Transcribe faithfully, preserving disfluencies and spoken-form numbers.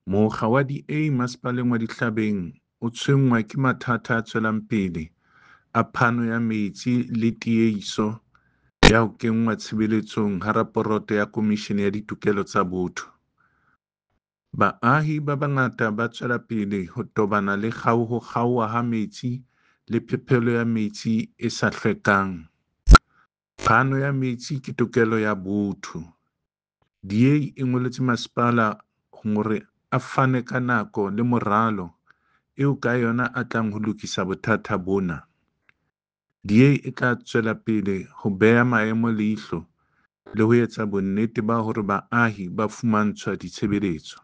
Mokga wa D A Masepaleng wa Dihlabeng o tshwenngwa ke mathata a tswelang pele a phano ya metsi le tiehiso ya ho kenngwa tshebetsong ha raporoto ya Komishene ya Ditokelo tsa Botho. Baahi ba bangata ba tswela pele ho tobana le ho kgaoha ha metsi le phepelo ya metsi e sa hlwekang. Phano ya metsi ke tokelo ya botho. D A e ngoletse masepala hore a fane ka nako le moralo eo ka yona a tlang ho lokisa bothata bona. D A e tla tswela pele ho beha maemo leihlo le ho etsa bonnete ba hore baahi ba fumantshwa ditshebeletso.